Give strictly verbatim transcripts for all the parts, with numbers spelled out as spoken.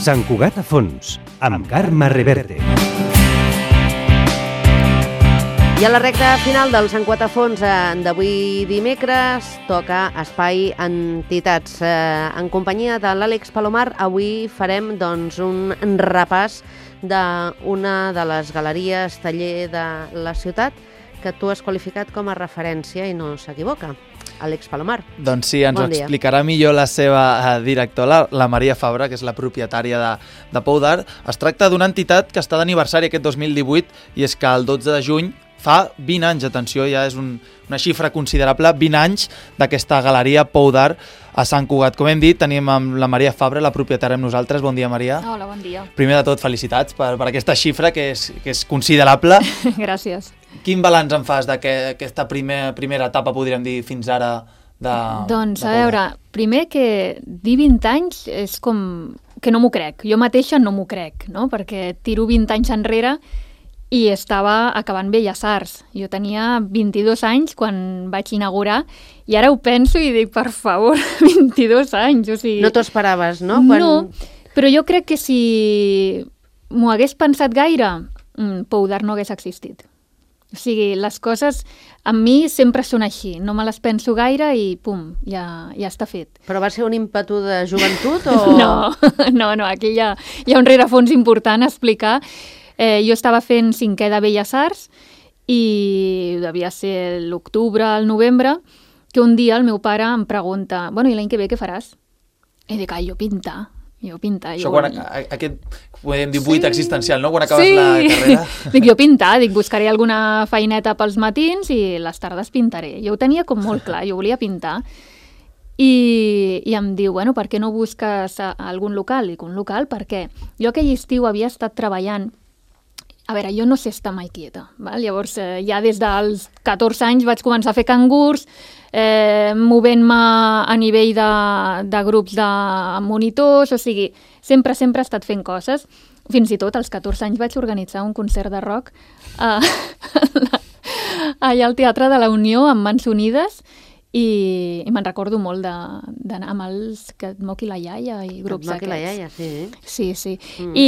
Sant Cugat a fons, amb Carme Reverte. I a la recta final del Sant Cugat a fons d'avui dimecres toca Espai Entitats. En companyia de l'Àlex Palomar, avui farem doncs, un repàs d'una de les galeries taller de la ciutat que tu has qualificat com a referència i no s'equivoca. Àlex Palomar. Doncs sí, ens bon ho explicarà millor la seva eh, directora, la Maria Fabra, que és la propietària de, de Pou d'Art. Es tracta d'una entitat que està d'aniversari aquest dos mil divuit i és que el dotze de juny fa vint anys, atenció, ja és un, una xifra considerable, vint anys d'aquesta galeria Pou d'Art a Sant Cugat. Com hem dit, tenim amb la Maria Fabra, la propietària, amb nosaltres. Bon dia, Maria. Hola, bon dia. Primer de tot, felicitats per, per aquesta xifra, que és, que és considerable. Gràcies. Quin balanç en fas d'aquesta primer, primera etapa, podríem dir, fins ara? De, doncs, de a veure, primer que dir vint anys és com que no m'ho crec. Jo mateixa no m'ho crec, no? Perquè tiro vint anys enrere i estava acabant Belles Arts. Jo tenia vint-i-dos anys quan vaig inaugurar i ara ho penso i dic, per favor, vint-i-dos anys. O sigui... No t'ho esperaves, no? Quan... No, però jo crec que si m'ho hagués pensat gaire, Pou d'Art no hagués existit. O sigui, les coses amb mi sempre són així, no me les penso gaire i pum, ja, ja està fet. Però va ser un ímpetu de joventut o...? No, no, no, aquí hi ha, hi ha un rerefons important a explicar. Eh, jo estava fent cinquè de Belles Arts i devia ser l'octubre, el novembre, que un dia el meu pare em pregunta, bueno, i l'any que ve què faràs? I dic, ai, jo pintar. Jo pintar. Això jo... quan, aquest, podem dir, buit sí. existencial, no? Quan acabes sí. la carrera. Dic, jo pintar, dic, buscaré alguna feineta pels matins i les tardes pintaré. Jo ho tenia com molt clar, jo volia pintar. I, i em diu, bueno, per què no busques a, a algun local? Dic, un local, per què? Jo aquell estiu havia estat treballant. A veure, jo no sé estar mai quieta, val? Llavors eh, ja des dels catorze anys vaig començar a fer cangurs, eh, movent-me a nivell de, de grups de monitors, o sigui, sempre, sempre he estat fent coses. Fins i tot als catorze anys vaig organitzar un concert de rock eh, allà al Teatre de la Unió amb Mans Unides i, i me'n recordo molt d'anar amb els que et moqui la iaia i grups et moqui aquests. la iaia, sí. Sí, sí. Mm. I,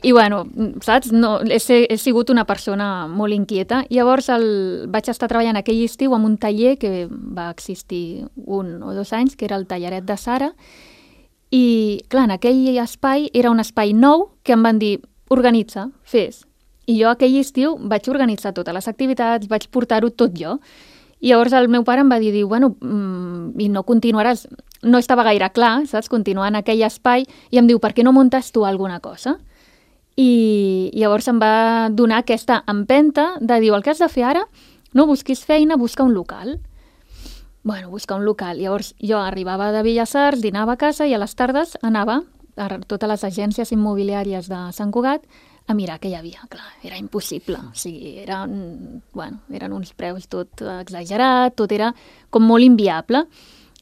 I, bueno, saps? No, he, he sigut una persona molt inquieta. Llavors el, vaig estar treballant aquell estiu en un taller que va existir un o dos anys, que era el Tallaret de Sara. I, clar, en aquell espai era un espai nou que em van dir, organitza, fes. I jo aquell estiu vaig organitzar totes les activitats, vaig portar-ho tot jo. I llavors el meu pare em va dir, diu, bueno, mm, i no continuaràs, no estava gaire clar, saps, continuar en aquell espai, i em diu, per què no muntes tu alguna cosa? I, i llavors em va donar aquesta empenta de dir, el que has de fer ara, no busquis feina, busca un local. Bueno, buscar un local. Llavors jo arribava de Belles Arts, dinava a casa i a les tardes anava a totes les agències immobiliàries de Sant Cugat a mirar què hi havia. Clar, era impossible. O sigui, eren, bueno, eren uns preus tot exagerat, tot era com molt inviable.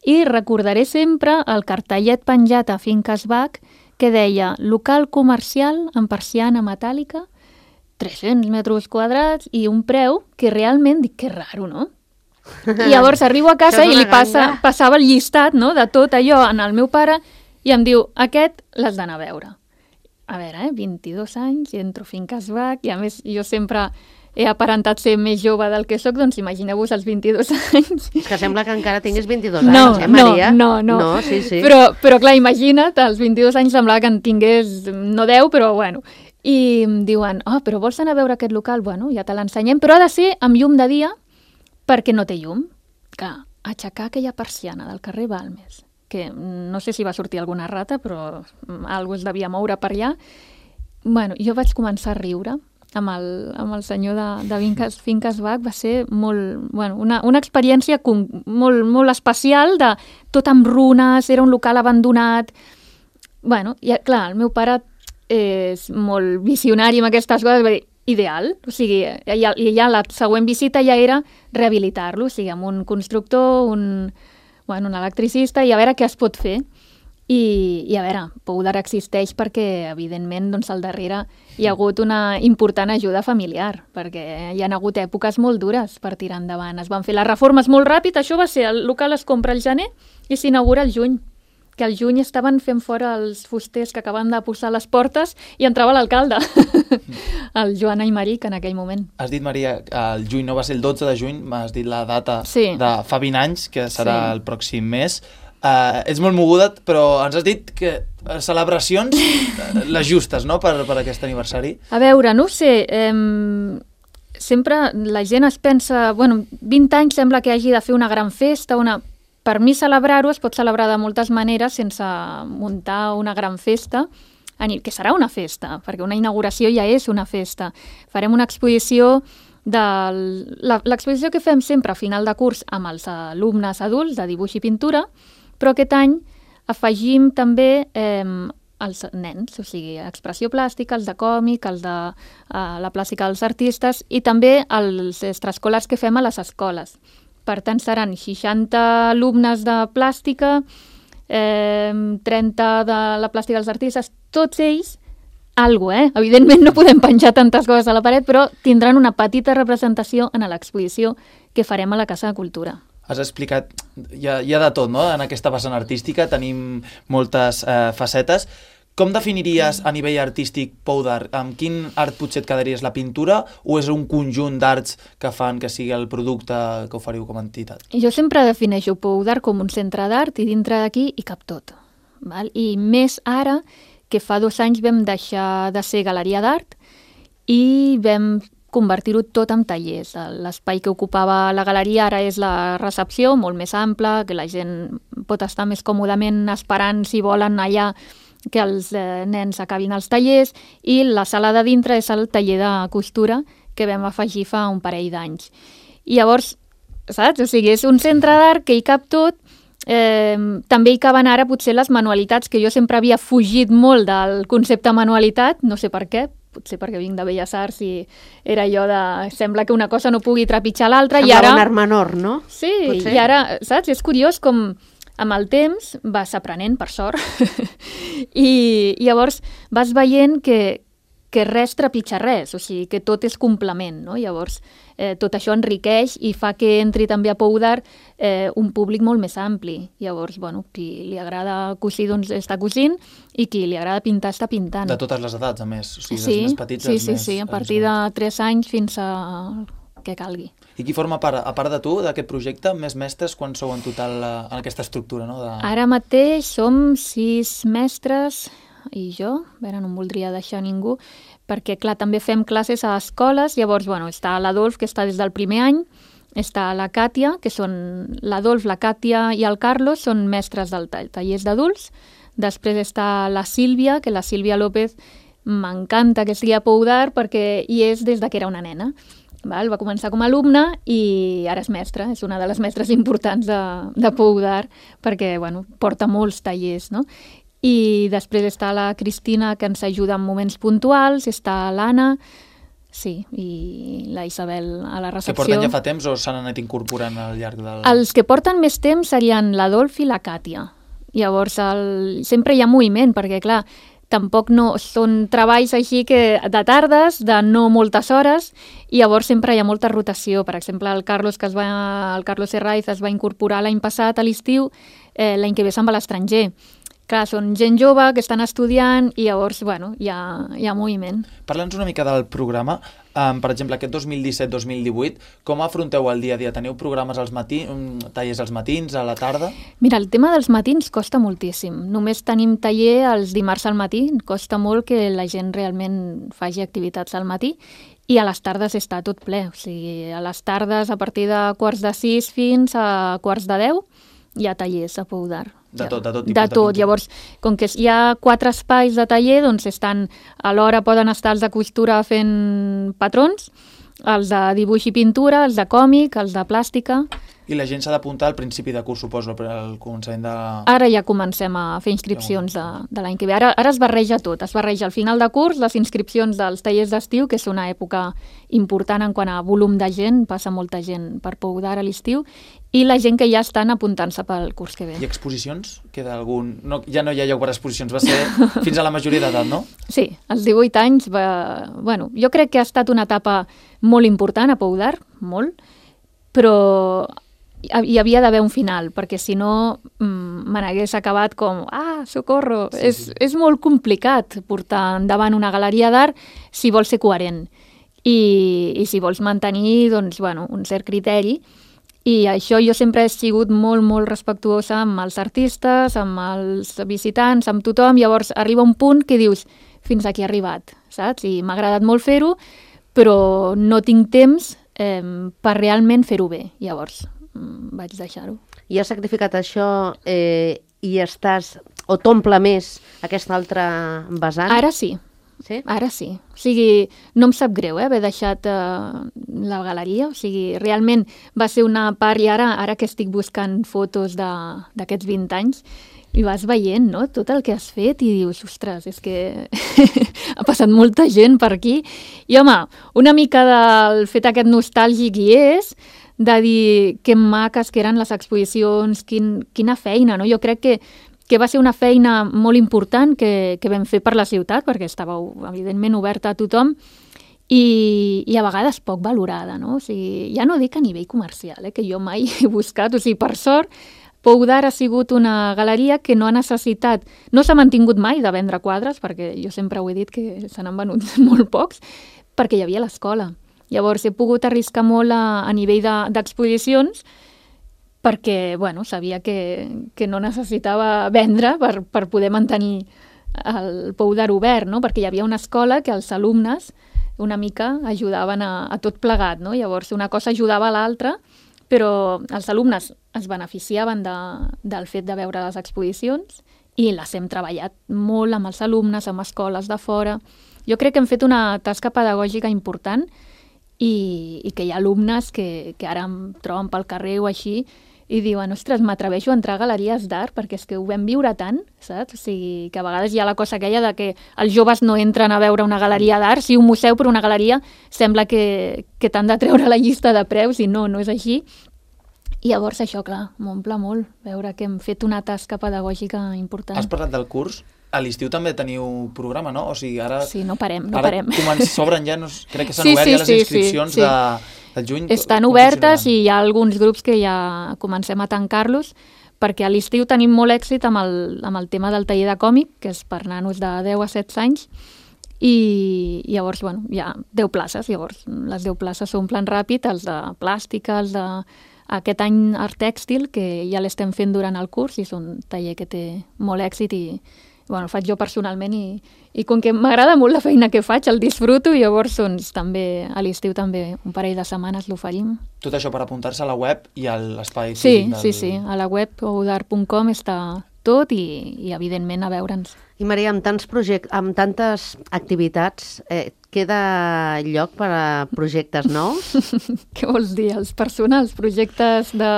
I recordaré sempre el cartellet penjat a Finques Bach que deia local comercial amb persiana metàl·lica, tres-cents metres quadrats i un preu que realment dic que raro, no? I llavors arribo a casa i li passa, passava el llistat, no?, de tot allò en el meu pare i em diu, aquest l'has d'anar a veure. A veure, eh, vint-i-dos anys, entro a Finques Bach, i a més jo sempre he aparentat ser més jove del que sóc, doncs imagineu-vos els vint-i-dos anys. És que sembla que encara tinguis vint-i-dos no, anys, eh, Maria? No, no, no. No, sí, sí. Però, però clar, imagina't, als vint-i-dos anys semblava que en tingués, no deu, però bueno. I em diuen, oh, però vols anar a veure aquest local? Bueno, ja te l'ensenyem, però ha de ser amb llum de dia, perquè no té llum. Clar, aixecar aquella persiana del carrer Balmes, que no sé si va sortir alguna rata, però algú es devia moure per allà. Bueno, jo vaig començar a riure amb el, amb el senyor de, de Finques, Finques Bach. Va ser molt, bueno, una, una experiència con, molt, molt especial, de tot amb runes, era un local abandonat. Bueno, i clar, el meu pare és molt visionari amb aquestes coses, va dir, ideal, o sigui, ja, ja la següent visita ja era rehabilitar-lo, o sigui, amb un constructor, un... bueno, un electricista, i a veure què es pot fer. I, i a veure, Pou d'Art existeix perquè, evidentment, doncs, al darrere hi ha hagut una important ajuda familiar, perquè hi ha hagut èpoques molt dures per tirar endavant. Es van fer les reformes molt ràpid, això va ser, el local es compra al gener i s'inaugura al juny. que al juny estaven fent fora els fusters que acaben de posar les portes i entrava l'alcalde, el Joan Aymeric, en aquell moment. Has dit, Maria, el juny no va ser el dotze de juny, m'has dit la data sí. de fa vint anys, que serà sí. el pròxim mes. Uh, ets molt moguda, però ens has dit que uh, celebracions uh, les justes, no?, per, per aquest aniversari. A veure, no ho sé, eh, sempre la gent es pensa, bueno, vint anys sembla que hagi de fer una gran festa, una... per mi celebrar-ho es pot celebrar de moltes maneres sense muntar una gran festa, que serà una festa, perquè una inauguració ja és una festa. Farem una exposició, l'exposició que fem sempre a final de curs amb els alumnes adults de dibuix i pintura, però aquest any afegim també eh, els nens, o sigui, expressió plàstica, els de còmic, els de eh, la plàstica dels artistes i també els extraescolars que fem a les escoles. Per tant, seran seixanta alumnes de plàstica, eh, trenta de la plàstica dels artistes, tots ells, algo, eh? Evidentment no podem penjar tantes coses a la paret, però tindran una petita representació en l'exposició que farem a la Casa de Cultura. Has explicat, hi ha, hi ha de tot, no?, en aquesta vessant artística, tenim moltes eh, facetes. Com definiries a nivell artístic Pou d'Art? Amb quin art potser et quedaries, la pintura, o és un conjunt d'arts que fan que sigui el producte que oferiu com a entitat? Jo sempre defineixo Pou d'Art com un centre d'art i dintre d'aquí hi cap tot. Val? I més ara que fa dos anys vam deixar de ser galeria d'art i vam convertir-ho tot en tallers. L'espai que ocupava la galeria ara és la recepció, molt més ampla, que la gent pot estar més còmodament esperant si volen allà que els eh, nens acabin els tallers, i la sala de dintre és el taller de costura que vam afegir fa un parell d'anys. I llavors, saps? O sigui, és un centre d'art que hi cap tot. Eh, també hi caben ara potser les manualitats, que jo sempre havia fugit molt del concepte manualitat, no sé per què, potser perquè vinc de Belles Arts i era allò de... sembla que una cosa no pugui trepitjar l'altra. Sembla ara... un art menor, no? Sí, potser. I ara, saps? És curiós com amb el temps vas aprenent, per sort, i llavors vas veient que, que res trepitja res, o sigui, que tot és complement, no? Llavors, eh, tot això enriqueix i fa que entri també a Pou d'Art eh, un públic molt més ampli. Llavors, bueno, qui li agrada cosir, doncs està cosint, i qui li agrada pintar està pintant. De totes les edats, a més? O sigui, sí, dels més petits sí, als sí, més... sí, a partir de tres anys fins a que calgui. I qui forma part, a part de tu, d'aquest projecte, més mestres, quan sou en total en aquesta estructura? No? De... Ara mateix som sis mestres i jo, a veure, no em voldria deixar ningú, perquè, clar, també fem classes a escoles, llavors, bueno, està l'Adolf, que està des del primer any, està la Càtia, que són l'Adolf, la Càtia i el Carlos, són mestres del tall, tallers d'adults. Després està la Sílvia, que la Sílvia López m'encanta que estigui a Pou d'Art perquè hi és des de que era una nena. Val? Va començar com a alumna i ara és mestra, és una de les mestres importants de, de Pou d'Art perquè, bueno, porta molts tallers, no? I després està la Cristina, que ens ajuda en moments puntuals, està l'Anna, sí, i la Isabel a la recepció. Que porten ja fa temps o s'han anat incorporant al llarg del... Els que porten més temps serien l'Adolf i la Càtia. Llavors, el... sempre hi ha moviment, perquè, clar, tampoc no són treballs així que de tardes, de no moltes hores, i llavors sempre hi ha molta rotació. Per exemple, el Carlos, que es va, el Carlos Herraiz es va incorporar l'any passat a l'estiu, eh, l'any que ve se'n va a l'estranger. Clar, són gent jove que estan estudiant i llavors, bueno, hi ha, hi ha moviment. Parla'ns una mica del programa. Um, per exemple, aquest dos mil disset dos mil divuit, com afronteu el dia a dia? Teniu programes als matins, tallers als matins, a la tarda? Mira, el tema dels matins costa moltíssim. Només tenim taller els dimarts al matí. Costa molt que la gent realment faci activitats al matí. I a les tardes està tot ple. O sigui, a les tardes, a partir de quarts de sis fins a quarts de deu, hi ha tallers a Pou d'Art. De tot, de tot tipus de tot. De Llavors, com que hi ha quatre espais de taller, doncs estan, alhora poden estar els de costura fent patrons, els de dibuix i pintura, els de còmic, els de plàstica. I la gent s'ha d'apuntar al principi de curs, suposo, al començament de... Ara ja comencem a fer inscripcions de, de l'any que ve. Ara, ara es barreja tot. Es barreja al final de curs les inscripcions dels tallers d'estiu, que és una època important en quant a volum de gent, passa molta gent per Pou d'Art a l'estiu, i la gent que ja estan apuntant-se pel curs que ve. I exposicions? Queda algun... No, ja no hi ha lloc per exposicions, va ser fins a la majoria d'edat, no? Sí, als divuit anys va... Bueno, jo crec que ha estat una etapa molt important a Pou d'Art, molt, però hi havia d'haver un final, perquè si no me n'hagués acabat com, ah, socorro, sí, és, sí. és molt complicat portar endavant una galeria d'art si vols ser coherent i, i si vols mantenir doncs, bueno, un cert criteri. I això jo sempre he sigut molt, molt respectuosa amb els artistes, amb els visitants, amb tothom. Llavors arriba un punt que dius, fins aquí he arribat, saps? I m'ha agradat molt fer-ho, però no tinc temps eh, per realment fer-ho bé. Llavors vaig deixar-ho. I has sacrificat això eh, i estàs, o t'omple més aquesta altra vessant? Ara sí. Sí? Ara sí. O sigui, no em sap greu eh, haver deixat eh, la galeria. O sigui, realment va ser una part, i ara, ara que estic buscant fotos d'aquests vint anys, i vas veient, no?, tot el que has fet i dius, ostres, és que ha passat molta gent per aquí. I, home, una mica del fet aquest nostàlgic hi és, de dir que maques que eren les exposicions, quin, quina feina, no? Jo crec que, que va ser una feina molt important que, que vam fer per la ciutat, perquè estava, evidentment, oberta a tothom, i, i a vegades poc valorada, no? O sigui, ja no dic a nivell comercial, eh, que jo mai he buscat, o sigui, per sort, Pou d'Art ha sigut una galeria que no ha necessitat, no s'ha mantingut mai de vendre quadres, perquè jo sempre ho he dit que se n'han venut molt pocs, perquè hi havia l'escola. Llavors he pogut arriscar molt a, a nivell d'exposicions, de, perquè bueno, sabia que, que no necessitava vendre per, per poder mantenir el Pou d'Art obert, no? Perquè hi havia una escola que els alumnes una mica ajudaven a, a tot plegat, no? Llavors una cosa ajudava a l'altra, però els alumnes es beneficiaven de, del fet de veure les exposicions i les hem treballat molt amb els alumnes, amb escoles de fora. Jo crec que hem fet una tasca pedagògica important i, i que hi ha alumnes que, que ara em troben pel carrer o així i diuen, ostres, m'atreveixo a entrar a galeries d'art perquè és que ho vam viure tant, saps? O sigui, que a vegades hi ha la cosa aquella de que els joves no entren a veure una galeria d'art, sí, un museu però una galeria sembla que, que t'han de treure la llista de preus i no, no és així. I llavors això, clar, m'omple molt veure que hem fet una tasca pedagògica important. Has parlat del curs? A l'estiu també teniu programa, no? O sigui, ara... Sí, no parem, no ara parem. S'obren ja, no, crec que s'han sí, obert sí, ja les sí, inscripcions sí, sí. de... El juny, estan obertes i hi ha alguns grups que ja comencem a tancar-los perquè a l'estiu tenim molt èxit amb el, amb el tema del taller de còmic, que és per nanos de deu a setze anys, i llavors, bueno, hi ha deu places, llavors les deu places s'omplen ràpid, els de plàstica, els de... Aquest any art tèxtil, que ja l'estem fent durant el curs, i és un taller que té molt èxit i bueno, el faig jo personalment i, i com que m'agrada molt la feina que faig, el disfruto i llavors doncs, també a l'estiu també un parell de setmanes l'oferim. Tot això per apuntar-se a la web i a l'espai sí, físic del... Sí, sí, a la web pou d'art punt com està tot i, i evidentment a veure'ns. I Maria, amb tants projectes, amb tantes activitats, eh, queda lloc per a projectes nous? Què vols dir? Els personals, projectes de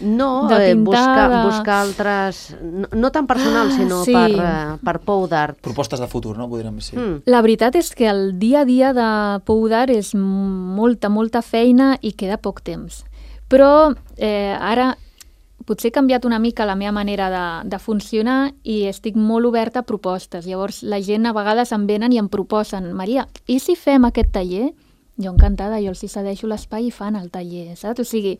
No, de eh, pintar, buscar, de... buscar altres... No, no tan personals, ah, sinó sí. per, eh, per Pou d'Art. Propostes de futur, no? Podríem dir. Mm. La veritat és que el dia a dia de Pou d'Art és molta, molta feina i queda poc temps. Però eh, ara potser he canviat una mica la meva manera de, de funcionar i estic molt oberta a propostes. Llavors la gent a vegades em venen i em proposen, Maria, i si fem aquest taller? Jo encantada, jo els hi cedeixo l'espai i fan el taller, saps? O sigui,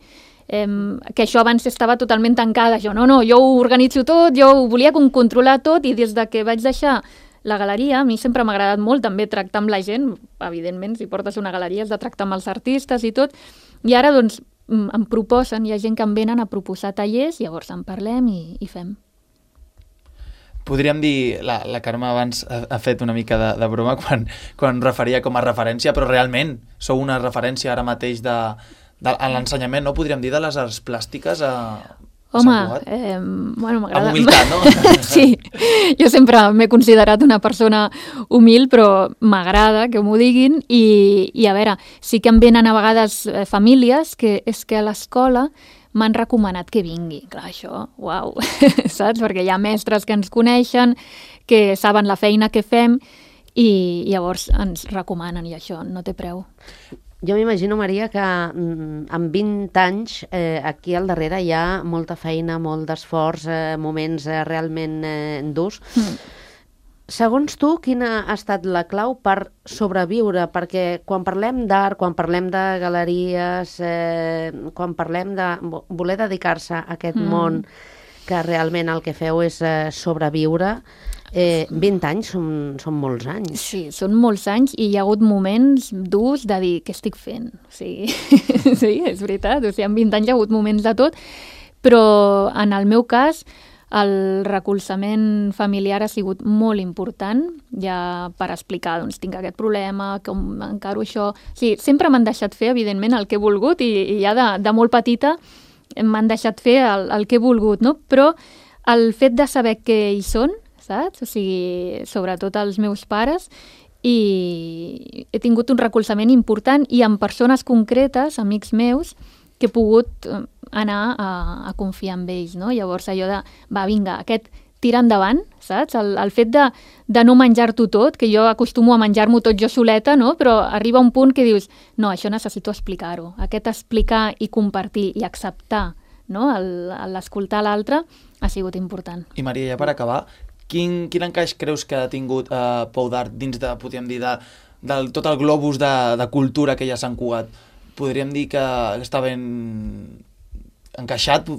eh, que això abans estava totalment tancada. Jo no, no, jo ho organitzo tot, jo ho volia controlar tot i des de que vaig deixar la galeria, a mi sempre m'ha agradat molt també tractar amb la gent, evidentment, si portes una galeria has de tractar amb els artistes i tot, i ara doncs em proposen, hi ha gent que em venen a proposar tallers, llavors en parlem i, i fem. Podríem dir, la, la Carme abans ha, ha fet una mica de, de broma quan, quan referia com a referència, però realment sou una referència ara mateix de, de, a l'ensenyament, no? Podríem dir de les arts plàstiques a... Home, eh, bueno, m'agrada... Amb humilitat, no? Sí, jo sempre m'he considerat una persona humil, però m'agrada que m'ho diguin i, i a veure, sí que em venen a vegades eh, famílies que és que a l'escola m'han recomanat que vingui. Clar, això, uau, saps? Perquè hi ha mestres que ens coneixen, que saben la feina que fem i llavors ens recomanen i això no té preu. Jo m'imagino, Maria, que mm, amb vint anys eh, aquí al darrere hi ha molta feina, molt d'esforç, eh, moments eh, realment eh, durs. Mm. segons tu, quina ha estat la clau per sobreviure? Perquè quan parlem d'art, quan parlem de galeries, eh, quan parlem de voler dedicar-se a aquest mm. món que realment el que feu és eh, sobreviure, eh, vint anys són, són molts anys. Sí, són molts anys i hi ha hagut moments durs de dir què estic fent. Sí, sí, és veritat. O sigui, en vint anys hi ha hagut moments de tot, però en el meu cas el recolzament familiar ha sigut molt important, ja per explicar, doncs, tinc aquest problema, com encaro això... Sí, sempre m'han deixat fer, evidentment, el que he volgut i, i ja de, de molt petita m'han deixat fer el, el que he volgut, no? Però el fet de saber què hi són, saps? O sigui, sobretot els meus pares, i he tingut un recolzament important i amb persones concretes, amics meus, que he pogut anar a, a confiar en ells, no? Llavors allò de, va, vinga, aquest tira endavant, saps? El, el fet de, de no menjar-t'ho tot, que jo acostumo a menjar-m'ho tot jo soleta, no? Però arriba un punt que dius, no, això necessito explicar-ho. Aquest explicar i compartir i acceptar, no? L'escoltar l'altre ha sigut important. I Maria, ja per acabar, quin, quin encaix creus que ha tingut eh, Pou d'Art dins de, podríem dir, de, de tot el globus de, de cultura que hi ha a Sant Cugat? Podríem dir que està ben encaixat?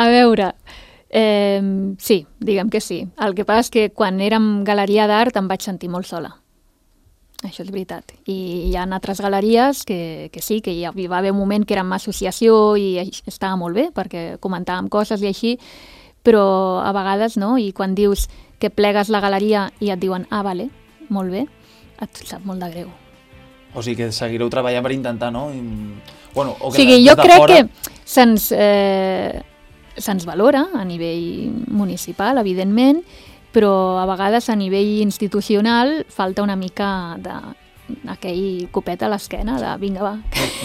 A veure, eh, sí, diguem que sí. El que passa és que quan érem galeria d'art em vaig sentir molt sola. Això és veritat. I hi ha altres galeries que, que sí, que hi va haver un moment que érem associació i estava molt bé perquè comentàvem coses i així, però a vegades no, i quan dius que plegues la galeria i et diuen ah, vale, molt bé, et sap molt de greu. O sigui que seguireu treballant per intentar, no? I, bueno, o que o sigui, de, jo de crec fora... que se'ns eh, se'ns valora a nivell municipal, evidentment, però a vegades a nivell institucional falta una mica de aquell copet a l'esquena de vinga, va.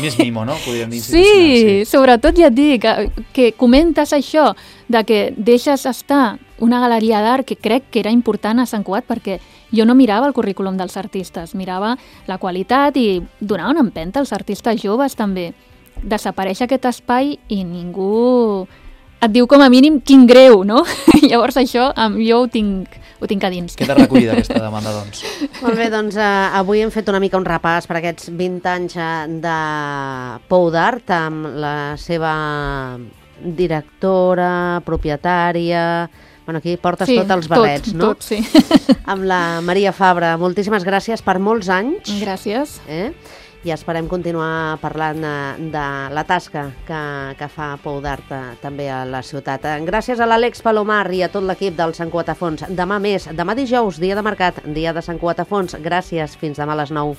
Més mimo, no? Podríem dir sí, sí, sobretot ja et dic que, que comentes això de que deixes estar una galeria d'art que crec que era important a Sant Cugat perquè jo no mirava el currículum dels artistes, mirava la qualitat i donava una empenta als artistes joves també. Desapareix aquest espai i ningú et diu com a mínim quin greu, no? Llavors això jo ho tinc, ho tinc a dins. Queda recollida aquesta demanda, doncs. Molt bé, doncs eh, avui hem fet una mica un repàs per aquests vint anys de Pou d'Art amb la seva directora, propietària... Bueno, aquí portes sí, tots els barrets, tot, no? Tot, sí. Amb la Maria Fabra. Moltíssimes gràcies per molts anys. Gràcies. Eh? I esperem continuar parlant de, de la tasca que, que fa Pou d'Art també a la ciutat. Gràcies a l'Àlex Palomar i a tot l'equip del Sant Cugat a Fons. Demà més, demà dijous, dia de mercat, dia de Sant Cugat a Fons. Gràcies, fins demà a les nou.